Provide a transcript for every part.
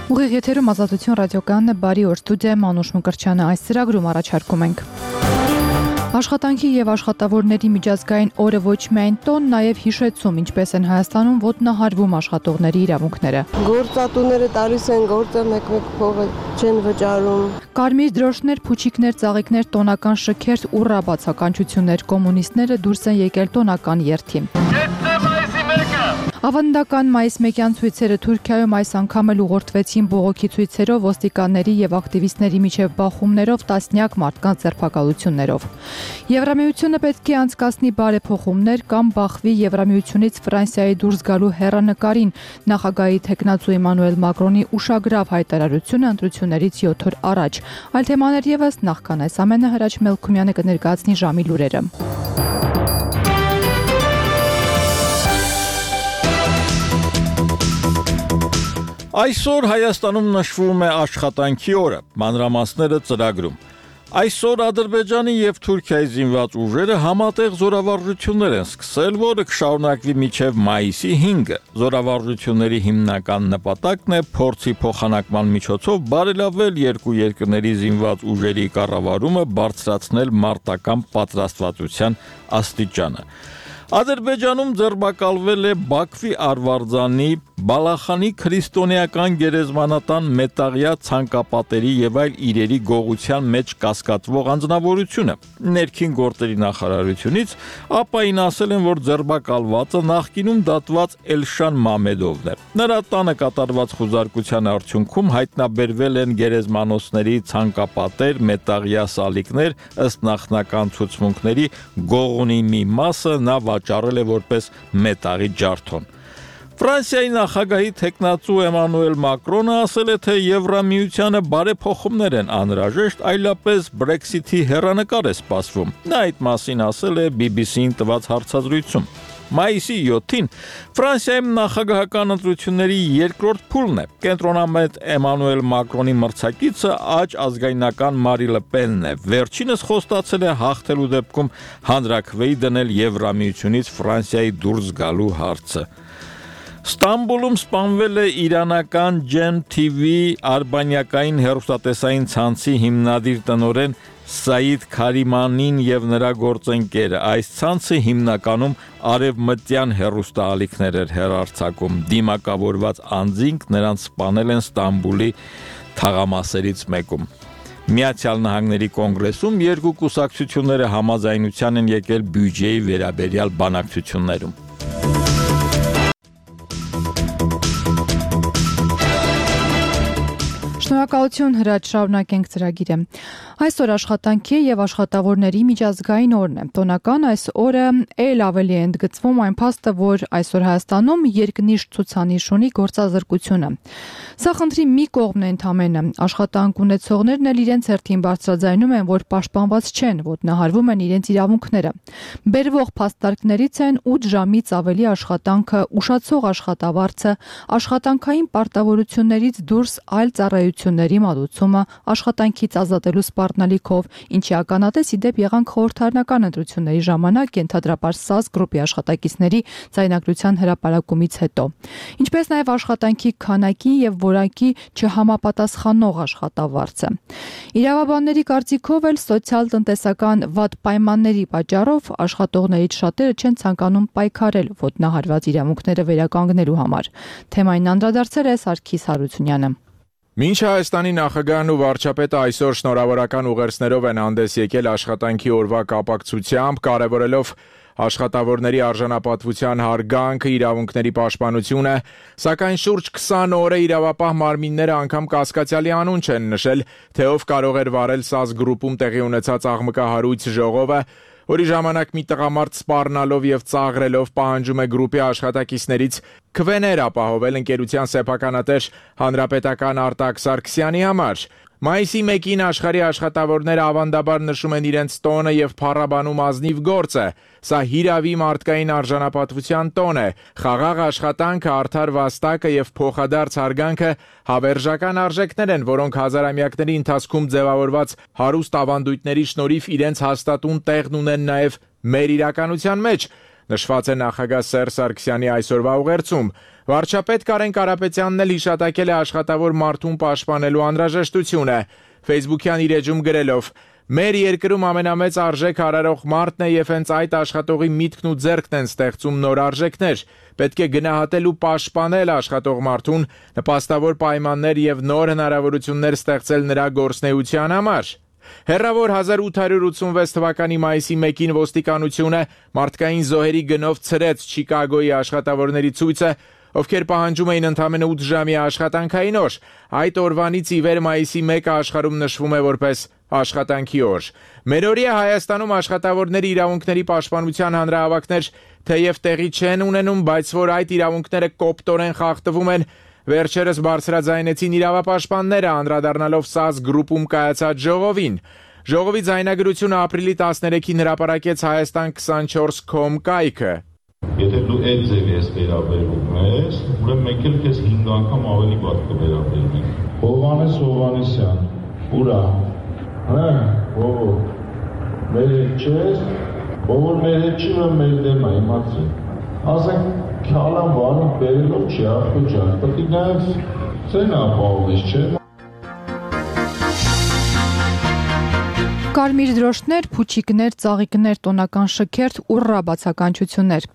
Ուղիղ եթերում Ազատություն ռադիոկայանն է, բարի օր, ստուդիայում Անուշ Մկրտչյանը, այս ծրագրում առաջարկում ենք աշխատանքի եւ աշխատավորների միջազգային օրը ոչ միայն տոն, նաեւ հիշեցում, ինչպես են Հայաստանում ոտնահարվում աշխատողների իրավունքները։ Գործատուները տալիս են գործը, մեկ-մեկ փողը չեն վճարում։ Կարմիր դրոշներ, փուչիկներ, ծաղիկներ, տոնական շքերթ ու ռաբացականչություններ, կոմունիստները դուրս են եկել տոնական երթին։ Ավանդական մայիս 1-յան ցույցերը Թուրքիայում այս անգամ էլ ուղղորդվեցին բողոքի ցույցերով, ոստիկանների եւ ակտիվիստների միջև բախումներով, տասնյակ մարդկանց ձերբակալություններով։ Եվրամիությունը պետք է անցկացնի բարեփոխումներ կամ բախվի Եվրամիությունից Ֆրանսիայի դուրս գալու հեռանկարին, նախագահի թեկնածու Էմանուել Մակրոնի ուշագրավ հայտարարությունը ընտրություններից 7 օր առաջ։ Այլ թեմաներ եւս նախքան այս ամենը Հրաչ Մելքումյանը կներկայացնի ժամի լուրերը։ Այսօր Հայաստանում նշվում է աշխատանքի օրը, մանրամասները ծրագրում։ Այսօր Ադրբեջանի եւ Թուրքիայի զինված ուժերը համատեղ զորավարժություններ են սկսել, որը կշարունակվի մինչև մայիսի 5-ը։ Զորավարժությունների հիմնական նպատակն է փորձի փոխանակման միջոցով բարելավել երկու երկրների զինված ուժերի կառավարումը, բարձրացնել մարտական պատրաստվածության աստիճանը։ Ադրբեջանում ձերբակալվել է Բաքվի Արվարձանի Բալախանի քրիստոնեական գերեզմանատան մետաղյա ցանկապատերի եւ այլ իրերի գողության մեջ կասկածվող անձնավորությունը։ Ներքին գործերի նախարարությունից ապային ասել են, որ ձերբակալվածը նախկինում դատված Էլշան Մամեդովն է։ Նրա տանը կատարված խուզարկության արդյունքում հայտնաբերվել են գերեզմանոցների ցանկապատեր, մետաղյա սալիկներ, ըստ նախնական ցուցմունքների գողունի մի մասը նա վաճառել է որպես մետաղի ջարդոն։ Ֆրանսիայի նախագահի թեկնածու Էմանուել Մակրոնը ասել է, թե Եվրամիությանը բարեփոխումներ են անհրաժեշտ, այլապես Brexit-ի հեռանկար է սպասվում։ Նա այդ մասին ասել է BBC-ին տված հարցազրույցում։ Մայիսի 7-ին Ֆրանսիայում նախագահական ընտրությունների երկրորդ փուլն է։ Կենտրոնամետ Էմանուել Մակրոնի մրցակիցը աջ ազգայնական Մարի Լը Պենն է։ Վերջինս խոստացել է հաղթելու դեպքում հանրաքվեի դնել Եվրամիությունից Ֆրանսիայի դուրս գալու հարցը։ Ստամբուլում սպանվել է իրանական Gem TV արբանյակային հեռուստատեսային ցանցի հիմնադիր տնօրեն Սաիդ Քարիմանին եւ նրա գործընկերը։ Այս ցանցը հիմնականում արևմտյան հեռուստաալիքներ էր հեռարձակում։ Դիմակավորված անձինք նրանց սպանել են Ստամբուլի թաղամասերից մեկում։ Միացյալ Նահանգների կոնգրեսում երկու կուսակցությունները համաձայնության են եկել բյուջեի վերաբերյալ բանակցություններում։ Շնորհակալություն Հրաչ, շարունակենք ծրագիրը։ Այսօր աշխատանքի եւ աշխատավորների միջազգային օրն է։ Տոնական այս օրը ել ավելի է ընդգծվում այն փաստը, որ այսօր Հայաստանում երկնիշ ցուցանիշ ունի գործազրկությունը։ Սա խնդրի մի կողմն է ընդամենը։ Աշխատանք ունեցողներն էլ իրենց հերթին բարձրաձայնում են, որ պաշտպանված չեն, ոտնահարվում են իրենց իրավունքները։ Բերվող փաստարկներից են 8 ժամից ավելի աշխատանքը, ուշացող աշխատավարձը, աշխատանքային պարտավորություններից դուրս այլ ծառայությունների մատուցումը, աշխատանքից ազատելու սպառնալիքով, ինչի ականատես ի դեպ եղանք խորհրդարանական ընտրությունների ժամանակ ենթադրաբար ՍԱԶ գրուպի աշխատակիցների ձայնագրության հրապարակումից հետո։ Ինչպես նաև աշխատանքի քանակի եւ որակի չհամապատասխանող աշխատավարձը։ Իրավաբանների կարծիքով էլ սոցիալ-տնտեսական վատ պայմանների պատճառով աշխատողներից շատերը չեն ցանկանում պայքարել ոտնահարված իրավունքները վերականգնելու համար։ Թեմային անդրադարձել է Սարգիս Հարությունյանը։ Մինչ Հայաստանի նախագահն ու վարչապետը այսօր շնորհավորական ուղերձներով են հանդես եկել աշխատանքի օրվա կապակցությամբ, կարևորելով աշխատավորների արժանապատվության հարգանքը, իրավունքների պաշտպանությունը, սակայն շուրջ 20 օր է իրավապահ մարմինները անգամ կասկածյալի անուն չեն նշել, թե ով կարող էր վարել ՍԱԶ գրուպում տեղի ունեցած աղմկահարույց ժողովը, որի ժամանակ մի տղամարդ սպառնալով եւ ծաղրելով պահանջում է գրուպի աշխատակիցներից քվեներ ապահովել ընկերության սեփականատեր հանրապետական Արտակ Սարգսյանի համար։ Մայիսի 1-ին աշխարհի աշխատավորները ավանդաբար նշում են իրենց տոնը եւ փառաբանում ազնիվ գործը։ Սա հիրավի մարդկային արժանապատվության տոն է։ Խաղաղ աշխատանքը, արդար վաստակը եւ փոխադարձ հարգանքը հավերժական արժեքներ են, որոնք հազարամյակների ընթացքում ձևավորված հարուստ ավանդույթների շնորհիվ իրենց հաստատուն տեղն ունեն նաեւ մեր իրականության մեջ։ Նշված է նախագահ Սերժ Սարգսյանի այսօրվա ուղերձում։ Վարչապետ Կարեն Կարապետյանն էլ հիշատակել է աշխատավոր մարդուն պաշտպանելու անհրաժեշտությունը։ Facebook-յան իր էջում գրելով. «Մեր երկրում ամենամեծ արժեք արարող մարդն է եւ հենց այդ աշխատողի միտքն ու ձեռքն են ստեղծում նոր արժեքներ։ Պետք է գնահատել ու պաշտպանել աշխատող մարդուն, նպաստավոր պայմաններ եւ նոր հնարավորություններ ստեղծել նրա գործունեության համար»։ Հեռավոր 1886 թվականի մայիսի 1-ին ոստիկանությունը մարդկային զոհերի գնով ցրեց Չիկագոյի աշխատավորների ցույցը, ովքեր պահանջում էին ընդամենը 8 ժամի աշխատանքային օր։ Այդ օրվանից ի վեր մայիսի 1-ը աշխարհում նշվում է որպես աշխատանքի օր։ Մերօրյա Հայաստանում աշխատավորների իրավունքների պաշտպանության հանրահավաքներ թեև տեղի չեն ունենում, բայց որ այդ իրավունքները կոպտորեն խախտվում են, վերջերս բարձրաձայնեցին իրավապաշտպանները, անդրադառնալով ՍԱԶ գրուպում կայացած ժողովին։ Ժողովի ձայնագրությունը ապրիլի 13-ին հրապարակեց Հայաստան24.com կայքը։ Եթե դու այդ ձևի ես վերաբերվում ես, ուրեմն մենք էլ քեզ 5 անգամ ավելի վատ կվերաբերվենք։ Հովհաննես Հովհաննիսյան, ուրա, ովո, մեր հետ չես, ովոր մեր հետ չի, որ մեր դեմ է, իմացին։ Ասենք, քալան վարում բերելով չի, ախտուջան, պետք է նաև ծեն ապահովես, չէ՞։ Կարմիր դրոշներ, փուչիկներ, ծաղիկներ, տոնական շքերթ, ուռա բացականչություններ։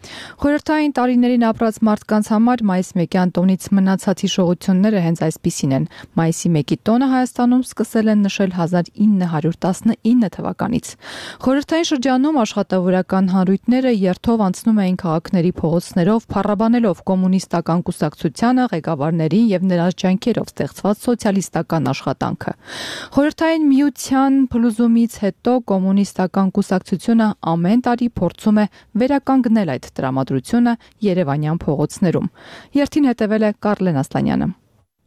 Խորհրդային տարիներին ապրած մարդկանց համար մայիսի 1-յան տոնից մնացած հիշողությունները հենց այսպիսին են։ Մայիսի 1-ի տոնը Հայաստանում սկսել են նշել 1919 թվականից։ Խորհրդային շրջանում աշխատավորական հանրույթները երթով անցնում էին քաղաքների փողոցներով, փառաբանելով կոմունիստական կուսակցությանը, ղեկավարներին եւ նրանց ջանքերով ստեղծված սոցիալիստական աշխատանքը։ Խորհրդային միության փլուզումից հետո կոմունիստական կուսակցությունը ամեն տարի փորձում է վերականգնել այդ տրամադրությունը Երևանյան փողոցներում։ Երթին հետևել է Կարլեն Ասլանյանը։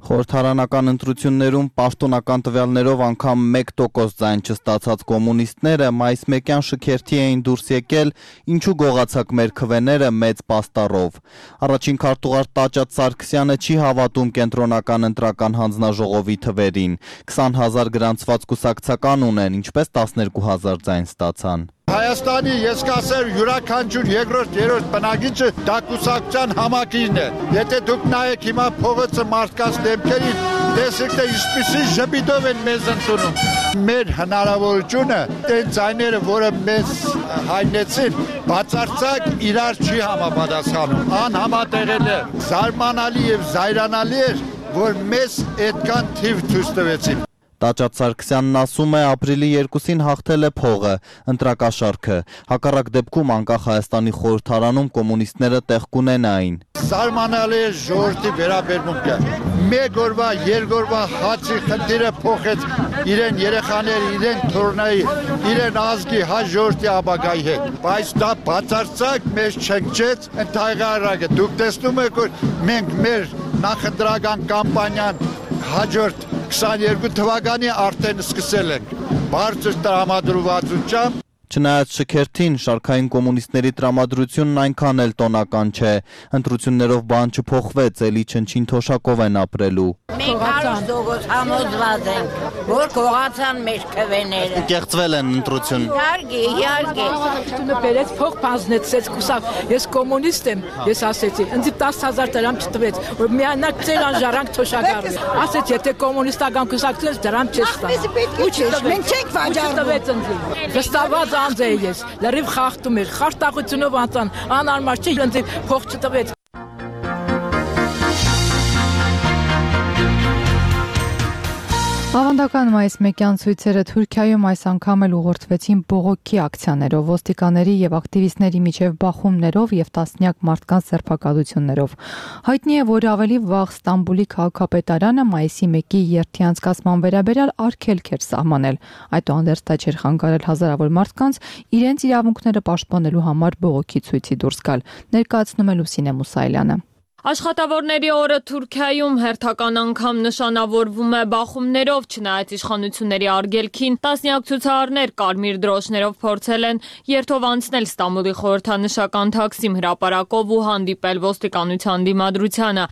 Խորհրդարանական ընտրություններում պաշտոնական տվյալներով անգամ 1% ձայն չստացած կոմունիստները մայիս 1-յան շքերթի էին դուրս եկել, ինչու գողացակ մեր քվեները մեծ պաստառով։ Առաջին քարտուղար Տաճատ Սարգսյանը չի հավատում կենտրոնական ընտրական հանձնաժողովի թվերին։ 20,000 գրանցված կուսակցական ունեն, ինչպես 12,000 ձայն ստացան։ Հայաստանի ես կասեմ յուրաքանչյուր երկրորդ, երրորդ բնակիչը դա կուսակցության համակիրն է։ Եթե դուք նայեք հիմա փողոցը մարդկանց դեմքերին, տեսեք թե ինչպիսի ժպիտով են մեզ ընդունում։ Մեր հնարավորությունը այն ձայները, որը մեզ հայտնեցին, բացարձակ իրար չի համապատասխանում։ Անհամատեղել է, զարմանալի եւ զայրանալի էր, որ մեզ այդքան թիվ ցույց տվեցին։ Տաճատ Սարգսյանն ասում է ապրիլի 2-ին հաղթել է փողը, ընտրակաշառքը։ Հակառակ դեպքում անկախ Հայաստանի խորհրդարանում կոմունիստները տեղ կունենային։ Զարմանալի է ժողովրդի վերաբերմունքը։ Մեկ օրվա, երկրորդ հացի խնդիրը փոխեց իրեն երեխաների, իրեն թորնայի, իրեն ազգի հայ ժողովրդի ապագայի հետ։ Բայց դա բացարձակ մեզ չնչեց ընդհանրակը։ Դուք տեսնում եք, որ մենք մեր նախընտրական կամպանիան հաջորդ 22 թվականի արդեն սկսել ենք բարձր տրամադրվածությամբ։ Չնայած շքերթին, շարքային կոմունիստների տրամադրությունն այնքան էլ տոնական չէ։ Ընտրություններով բան չփոխվեց, էլի չնչին թոշակով են ապրելու։ Մենք հարուստողոց համոզված ենք, որ կողացան մեր քվեները։ Կեղծվել են ընտրություն։ Իհարկե։ Տունը բերեց փող բանձնեցեց կուսակ։ Ես կոմունիստ եմ, ես ասեցի, ինձ 10,000 դրամ չտվեց, որ միանակ ծեր անժարանք թոշակառու։ Ասեց, եթե կոմունիստական կուսակցությունից դրամ չես տա։ Մենք չենք վաճառում։ Վստահված անձ է ես, լրիվ խախտում էր, խարտախությունով անցան, անարմար չէ, ինձ փող չտվեց։ Ավանդական մայիսի 1-յան ցույցերը Թուրքիայում այս անգամ էլ ուղղորդվեցին բողոքի ակցիաներով, ոստիկանների եւ ակտիվիստների միջև բախումներով եւ տասնյակ մարդկանց սերբակալություններով։ Հայտնի է, որ ավելի վաղ Ստամբուլի քաղաքապետարանը մայիսի 1-ի երթի անցկացման վերաբերյալ արգելք էր սահմանել։ Այդուհանդերձ դա չէր խանգարել հազարավոր մարդկանց իրենց իրավունքները պաշտպանելու համար բողոքի ցույցի դուրս գալ։ Ներկայացնում է Լուսինե Մուսայելյանը։ Աշխատավորների օրը Թուրքիայում հերթական անգամ նշանավորվում է բախումներով, չնայած իշխանությունների արգելքին, տասնյակ ցուցարարներ կարմիր դրոշներով փորձել են երթով անցնել Ստամբուլի խորհրդանշական Թաքսիմ հրապարակով ու հանդիպել ոստիկանության դիմադրությանը։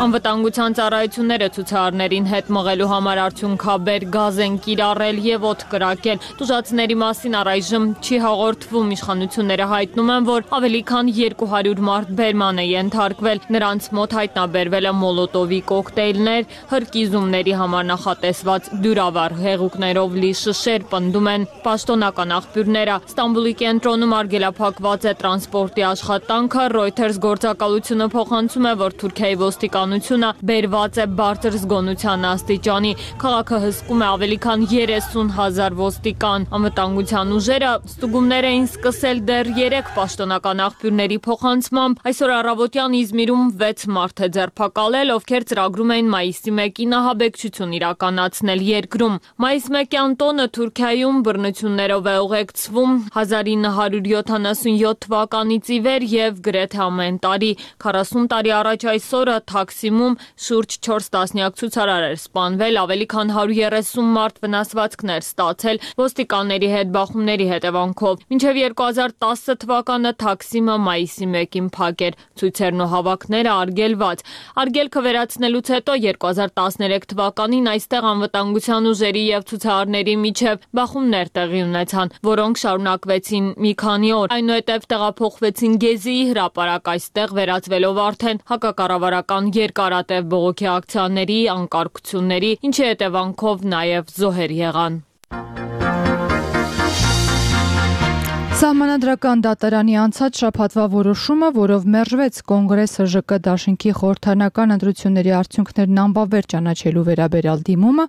Անվտանգության ծառայությունները ցուցարարներին հետ մղելու համար արդյունքաբեր գազ են կիրառել եւ օդ կրակել։ Տուժածների մասին առայժմ չի հաղորդվում։ Իշխանությունները հայտնում են, որ ավելի քան 200 մարդ բերման է ենթարկվել։ Նրանց մոտ հայտնաբերվել է մոլոտովի կոկտեյլներ, հրկիզումների համար նախատեսված դյուրավառ հեղուկներով լի շշեր, պնդում են պաշտոնական աղբյուրները։ Ստամբուլի կենտրոնում արգելափակված է տրանսպորտի աշխատանքը։ Reuters գործակալությունը փոխանցում է, որ Թուրքիայի ոստիկանությունը բերված է բարձր զգոնության աստիճանի։ Քաղաքը հսկում է ավելի քան 30,000 ոստիկան։ Անվտանգության ուժերը ստուգումներ էին սկսել դեռ 3 պաշտոնական աղբյուրների փոխանցմամբ։ Այսօր առավոտյան Իզմիրում 6 մարդ է ձերբակալել, ովքեր ծրագրում էին մայիսի 1-ին ահաբեկչություն իրականացնել երկրում։ Մայիս 1-յան տոնը Թուրքիայում բռնություններով է ուղեկցվում 1977 թվականից ի վեր եւ գրեթե ամեն տարի։ 40 տարի առաջ այս օրը Թաքսիմում շուրջ 4 տասնյակ ցուցարար էր սպանվել, ավելի քան 130 մարդ վնասվածքներ ստացել ոստիկանների հետ բախումների հետևանքով։ Մինչև 2010 թվականը Թաքսիմը մայիսի 1-ին փակ էր, ցույցերն ու հավաքները արգելված։ Արգելքը վերացնելուց հետո 2013 թվականին այստեղ անվտանգության ուժերի եւ ցուցարարների միջև բախումներ տեղի ունեցան, որոնք շարունակվեցին մի քանի օր։ Այնուհետև տեղափոխվեցին Գեզիի հրապարակ, այստեղ վերածվելով արդեն հակակառավարական երկարատև բողոքի ակցիաների, անկարգությունների, ինչի հետևանքով նաև զոհեր եղան։ Սահմանադրական դատարանի անցած շաբաթվա որոշումը, որով մերժվեց Կոնգրեսը ԺԿ դաշինքի խորհրդարանական ընտրությունների արդյունքներն անբավեր ճանաչելու վերաբերյալ դիմումը,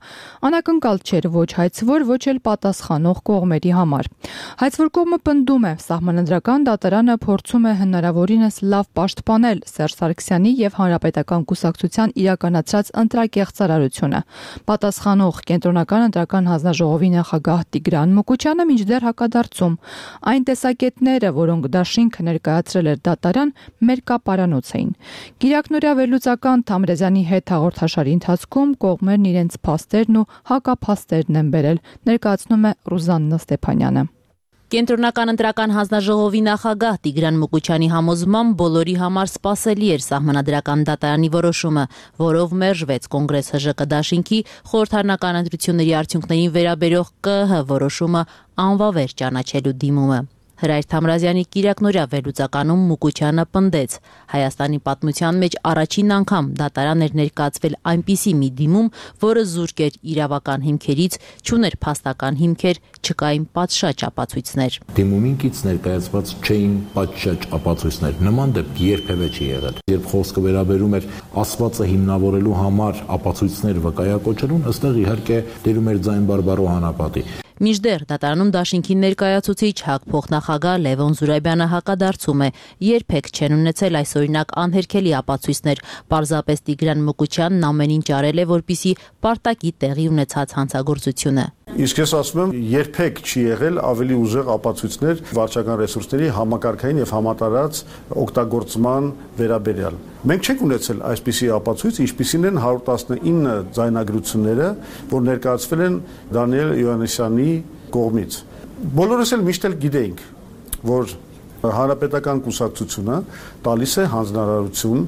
անակնկալ չէր ոչ հայցվոր, ոչ էլ պատասխանող կողմերի համար։ Հայցվոր կողմը պնդում է, Սահմանադրական դատարանը փորձում է հնարավորինս լավ պաշտպանել Սերժ Սարգսյանի եւ Հանրապետական կուսակցության իրականացրած ընտրակեղծարարությունը։ Պատասխանող Կենտրոնական ընտրական հանձնաժողովի նախագահ Տիգրան Մուկուչյանը մինչդեռ հակադարձում։ Այն տեսակետները, որոնք դաշինքը ներկայացրել էր դատարան, մեր կապարանոց էին։ Կիրակնօրյա վերլուծական Թամրեզյանի հետ հաղորդաշարի ընթացքում կողմերն իրենց փաստերն ու հակափաստերն են բերել, ներկայացնում է Ռուզաննա Ստեփանյանը։ Կենտրոնական ընտրական հանձնաժողովի նախագահ Տիգրան Մուկուչյանի համոզմամբ բոլորի համար սպասելի էր Սահմանադրական դատարանի որոշումը, որով մերժվեց Կոնգրես ՀԺԿ դաշինքի խորհրդարանական ընտրությունների արդյունքներին վերաբերող ԿԸՀ որոշումը անվավեր ճանաչելու դիմումը։ Հրայր Թամրազյանի կիրակնօրյա վերլուծականում Մուկուչյանը պնդեց. Հայաստանի պատմության մեջ առաջին անգամ դատարան էր ներկայացվել այնպիսի մի դիմում, որը զուրկ էր իրավական հիմքերից, չուներ փաստական հիմքեր, չկային պատշաճ ապացույցներ։ Դիմումին կից ներկայացված չէին պատշաճ ապացույցներ։ Նման դեպք երբևէ չի եղել։ Երբ խոսքը վերաբերում էր ասվածը հիմնավորելու համար ապացույցներ վկայակոչելուն, ըստեղ իհարկե դերում էր ձայն բարբառու հանապատի։ Մինչդեռ դատարանում դաշինքի ներկայացուցիչ ՀԱԿ փոխնախագահ Լևոն Զուրաբյանը հակադարձում է. երբեք չեն ունեցել այս օրինակ անհերքելի ապացույցներ, պարզապես Տիգրան Մուկուչյանն ամեն ինչ արել է, որպեսզի պարտակի տեղի ունեցած հանցագործությունը։ Իսկ ես ասում եմ, երբեք չի եղել ավելի ուժեղ ապացույցներ վարչական ռեսուրսների համակարգային եւ համատարած օգտագործման վերաբերյալ։ Մենք չենք ունեցել այսպիսի ապացույց, ինչպիսին են 119 ձայնագրությունները, որ ներկայացվել են Դանիել Յովհաննիսյանի կողմից։ Բոլորս էլ միշտ էլ գիտեինք, որ Հանրապետական կուսակցությունը տալիս է հանձնարարություն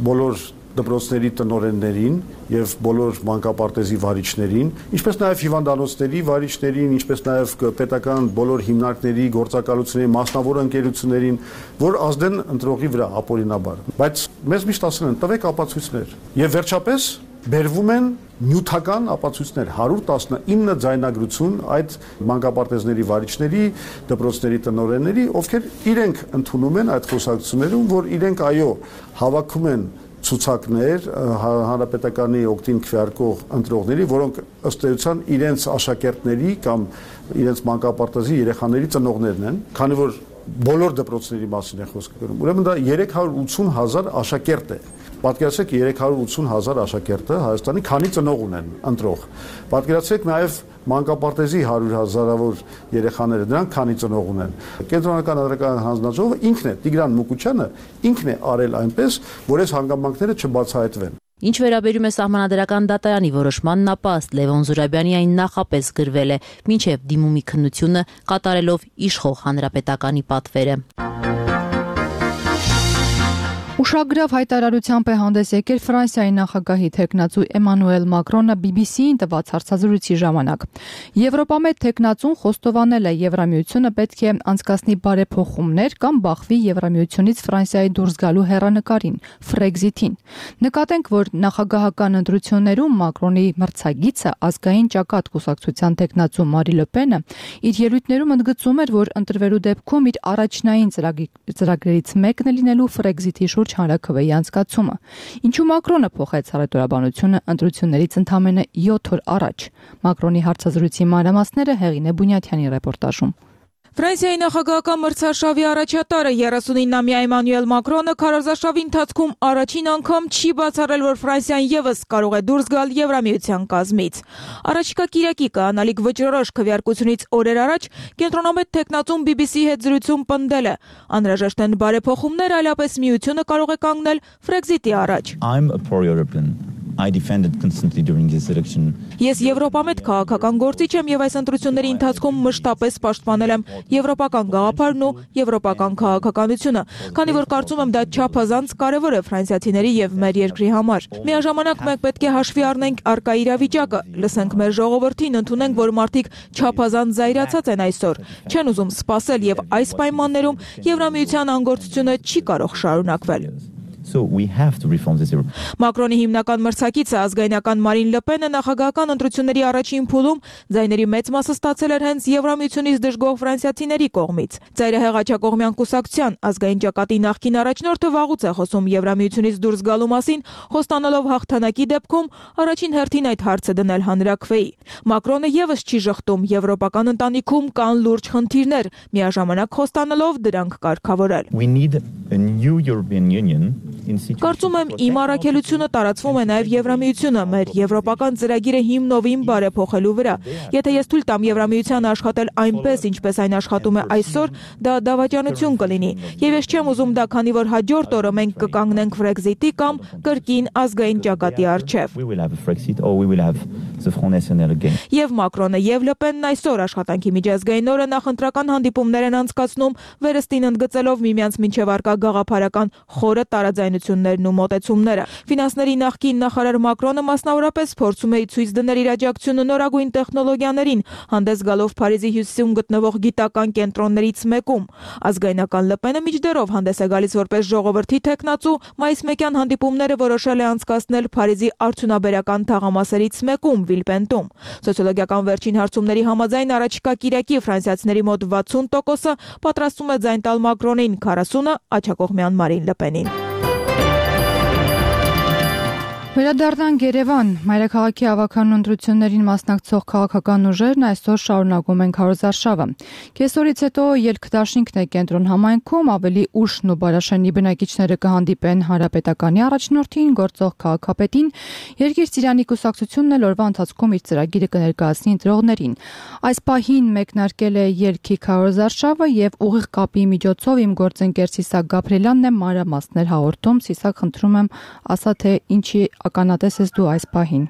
բոլոր դպրոցների տնօրեններին եւ բոլոր մանկապարտեզի վարիչներին, ինչպես նաեւ հիվանդանոցների վարիչներին, ինչպես նաեւ պետական բոլոր հիմնարկների, գործակալությունների, մասնավոր ընկերություններին, որ ազդեն ընտրողի վրա ապօրինաբար։ Բայց մեզ միշտ ասել են՝ տվեք ապացույցներ։ Եվ վերջապես բերվում են նյութական ապացույցներ 119 ձայնագրություն այդ մանկապարտեզների վարիչների, դպրոցների տնօրենների, ովքեր իրենք ընդունում են այդ խոսակցություններում, որ իրենք այո հավաքում են ցուցակներ հանրապետականի օգտին քվեարկող ընտրողների, որոնք ըստ էության իրենց աշակերտների կամ իրենց մանկապարտեզի երեխաների ծնողներն են, քանի որ բոլոր դպրոցների մասին է խոսքը գնում։ Ուրեմն դա 380,000 աշակերտ է։ Պատկերացրեք 380,000 աշակերտը Հայաստանի քանի ծնող ունեն ընտրող։ Պատկերացրեք նաև մանկապարտեզի 100,000-ավոր երեխաները դրանք քանի ծնող ունեն։ Կենտրոնական ընտրական հանձնաժողովը ինքն է, Տիգրան Մուկուչյանը ինքն է արել այնպես, որ այս հանգամանքները չբացահայտվեն։ Ինչ վերաբերում է Սահմանադրական դատարանի որոշմանն, ապա ըստ Լևոն Զուրաբյանի այն նախապես գրվել է, մինչև դիմումի քննությունը կատարելով իշխող հանրապետականի պատվերը։ Ուշագրավ հայտարարությամբ է հանդես եկել Ֆրանսիայի նախագահի թեկնածու Էմանուել Մակրոնը BBC-ին տված հարցազրույցի ժամանակ։ Եվրոպամետ թեկնածուն խոստովանել է Եվրամիությունը պետք է անցկացնի բարեփոխումներ կամ բախվի Եվրամիությունից Ֆրանսիայի դուրս գալու հեռանկարին, Frexit-ին։ Նկատենք, որ նախագահական ընտրություններում Մակրոնի մրցակիցը ազգային ճակատ կուսակցության թեկնածու Մարի Լը Պենը իր ելույթներում ընդգծում էր, որ ընտրվելու դեպքում իր առաջնային ծրագրերից մեկն է լինելու Frexit-ի շուրջ հանրաքվեի անցկացումը։ Ինչու Մակրոնը փոխեց առևտրաբանությունը ընտրություններից ընդամենը 7 օր առաջ։ Մակրոնի հարցազրույցի մանրամասները Հեղինե Բունյաթյանի ռեպորտաժում։ Ֆրանսիայի նախագահական մրցարշավի առաջատարը 39-ամյա Էմանուել Մակրոնը քարոզարշավի ընթացքում առաջին անգամ չի բացառել, որ Ֆրանսիան եւս կարող է դուրս գալ Եվրամիության կազմից։ Առաջիկա կիրակի կայանալիք վճռորոշ քվեարկությունից օրեր առաջ կենտրոնամետ թեկնածուն BBC-ի հետ զրույցում պնդել է. անհրաժեշտ են բարեփոխումներ, այլապես միությունը կարող է կանգնել Frexit-ի առաջ։ I defended constantly during this election. Ես եվրոպամետ քաղաքական գործիչ եմ եւ այս ընտրությունների ընթացքում մշտապես պաշտպանել եմ եվրոպական գաղափարն ու եվրոպական քաղաքականությունը, քանի որ կարծում եմ դա չափազանց կարեւոր է ֆրանսիացիների եւ մեր երկրի համար։ Միաժամանակ մենք պետք է հաշվի առնենք առկա իրավիճակը, լսենք մեր ժողովրդին, ընդունենք, որ մարդիկ չափազանց զայրացած են այսօր, չեն ուզում սպասել եւ այս պայմաններում Եվրամիության անգործությունը չի կարող շարունակվել։ So we have to reform this. Մակրոնի հիմնական մրցակիցը ազգայնական Մարին Լը Պենը նախագահական ընտրությունների առաջին փուլում ձայների մեծ մասը ստացել էր հենց Եվրամիությունից դժգոհ ֆրանսիացիների կողմից։ Ծայրահեղ աջակողմյան կուսակցության ազգային ճակատի նախկին առաջնորդը վաղուց է խոսում Եվրամիությունից դուրս գալու մասին, խոստանալով հաղթանակի դեպքում առաջին հերթին այդ հարցը դնել հանրաքվեի։ Մակրոնը եւս չի ժխտում եվրոպական ընտանիքում կան լուրջ խնդիրներ, միաժամանակ խոստանալով դրանք կարգավորել։ We need a new European Union. Կարծում եմ իմ առաքելությունը տարածվում է նաև Եվրամիությունը, մեր եվրոպական ծրագիրը հիմնովին բարեփոխելու վրա։ Եթե ես թույլ տամ Եվրամիությանը աշխատել այնպես, ինչպես այն աշխատում է այսօր, դա դավաճանություն կլինի։ Եվ ես չեմ ուզում դա, քանի որ հաջորդ օրը մենք կկանգնենք Frexit-ի կամ կրկին ազգային ճակատի առջև։ Եվ Մակրոնը եւ Լը Պենն այսօր աշխատանքի միջազգային օրը նախընտրական հանդիպումներ են անցկացնում, վերստին ընդգծելով միմյանց մինչև առկա գաղափարական խորը տարաձայնություններն ու մոտեցումները։ Ֆինանսների նախկին նախարար Մակրոնը մասնավորապես փորձում է ցույց դնել իր աջակցությունը նորագույն տեխնոլոգիաներին, հանդես գալով Փարիզի հյուսիսում գտնվող գիտական կենտրոններից մեկում։ Ազգայնական Լը Պենը միջդեռով հանդես է գալիս որպես ժողովրդի թեկնածու, մայիսմեկյան հանդիպումները որոշել է անցկացնել Փարիզի արդյունաբերական թաղամասերից մեկում Վիլպենտում։ Սոցիոլոգիական վերջին հարցումների համաձայն առաջիկա կիրակի ֆրանսիացիների մոտ 60%-ը պատրաստվում է ձայն տալ Մակրոնին, 40%-ը աջակողմյան Մարին Լը Պենին։ Վերադառնանք Երևան։ Մայրաքաղաքի ավագանուն ընտրություններին մասնակցող քաղաքական ուժերն այսօր շարունակում են քարոզարշավը։ Կեսօրից հետո ելքդաշինքն է կենտրոն համայնքում, ավելի ուշն ու Բարաշենի բնակիչները կհանդիպեն հանրապետականի առաջնորդին, գործող քաղաքապետին, Երկիր Ծիրանի կուսակցությունն էլ օրվա ընթացքում իր ծրագիրը կներկայացնի ընտրողներին։ Այս պահին մեկնարկել է ելքի քարոզարշավը եւ ուղիղ կապի միջոցով իմ գործընկեր Սիսակ Գաբրելյանն է մանրամասներ հաղորդում։ Սիսակ, խնդրում եմ, ասա թե ինչի ականատես ես դու այս պահին։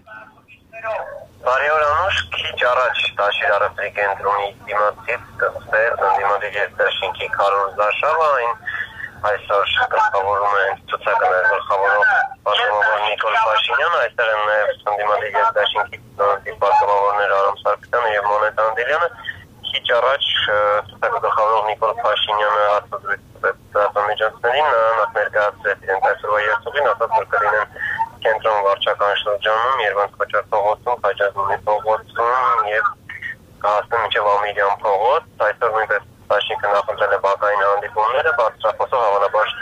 Բարի օր Անուշ, քիչ առաջ Տաշիր առևտրի կենտրոնի դիմացից սկսվեց ընդդիմադիր երկդաշինքի քարոզարշավը, այն այսօր գլխավորում է ցուցակներ գլխավորող պատգամավոր Նիկոլ Փաշինյանը, այստեղ են նաև ընդդիմադիր երկդաշինքի պատգամավորներ Արամ Սարգսյանը եւ Մոնետ Անդելյանը։ Քիչ առաջ ցուցակը գլխավորող Նիկոլ Փաշինյանը արտադրեց դասամիջոցներին, նա ներկայացրեց իրենց այսօրվա երթուղին, ասաց որ կլինեն կենտրոն վարչական շրջանում, Երվանդ Քոչար փողոցում, Խաչաձորի փողոցում եւ կհասնեն մինչեւ Ամիրյան փողոց։ Այսօր նույնպես Տաշինքը նախընտրել է բակային հանդիպումները, բարձրախոսով հավանաբար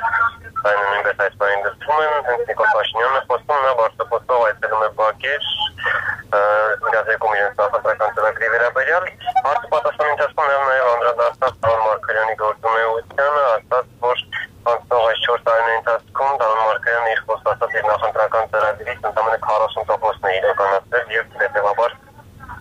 այն նույնպես այս բանին դրվում են, հենց Նիկոլ Փաշինյանն է խոսում, նա բարձրախոսով այցելում է բակեր, իրազեկում իրենց նախընտրական ծրագրի վերաբերյալ։ Հարցը պատասխանի ընթացքում նաեւ անդրադարձավ Տան Մարգարյանի գործունեությանը, ասաց, որ անցնող այս 4 տարիների ընթացքում Տան Մարգարյանը իր խոստացած իր նախընտրական ծրագրից ընդամենը 40%-ն է իրականացրել եւ հետեւաբար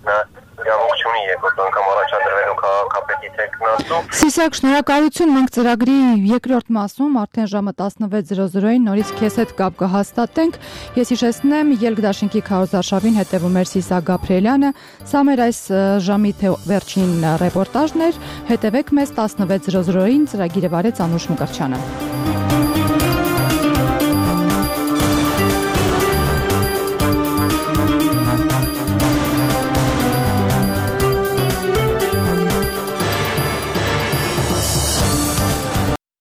նա իրավունք չունի երկրորդ անգամ առաջադրվելու քաղաքապետի թեկնածու։ Սիսակ, շնորհակալություն, մենք ծրագրի երկրորդ մասում արդեն ժամը 16:00-ին նորից քեզ հետ կապ կհաստատենք։ Ես հիշեցնեմ, ելքդաշինքի քարոզարշավին հետևում էր Սիսակ Գաբրելյանը։ Սա մեր այս ժամի վերջին ռեպորտաժն էր։ Հետևեք մեզ 16:00-ին, ծրագիրը վարեց Անուշ Մկրտչյանը։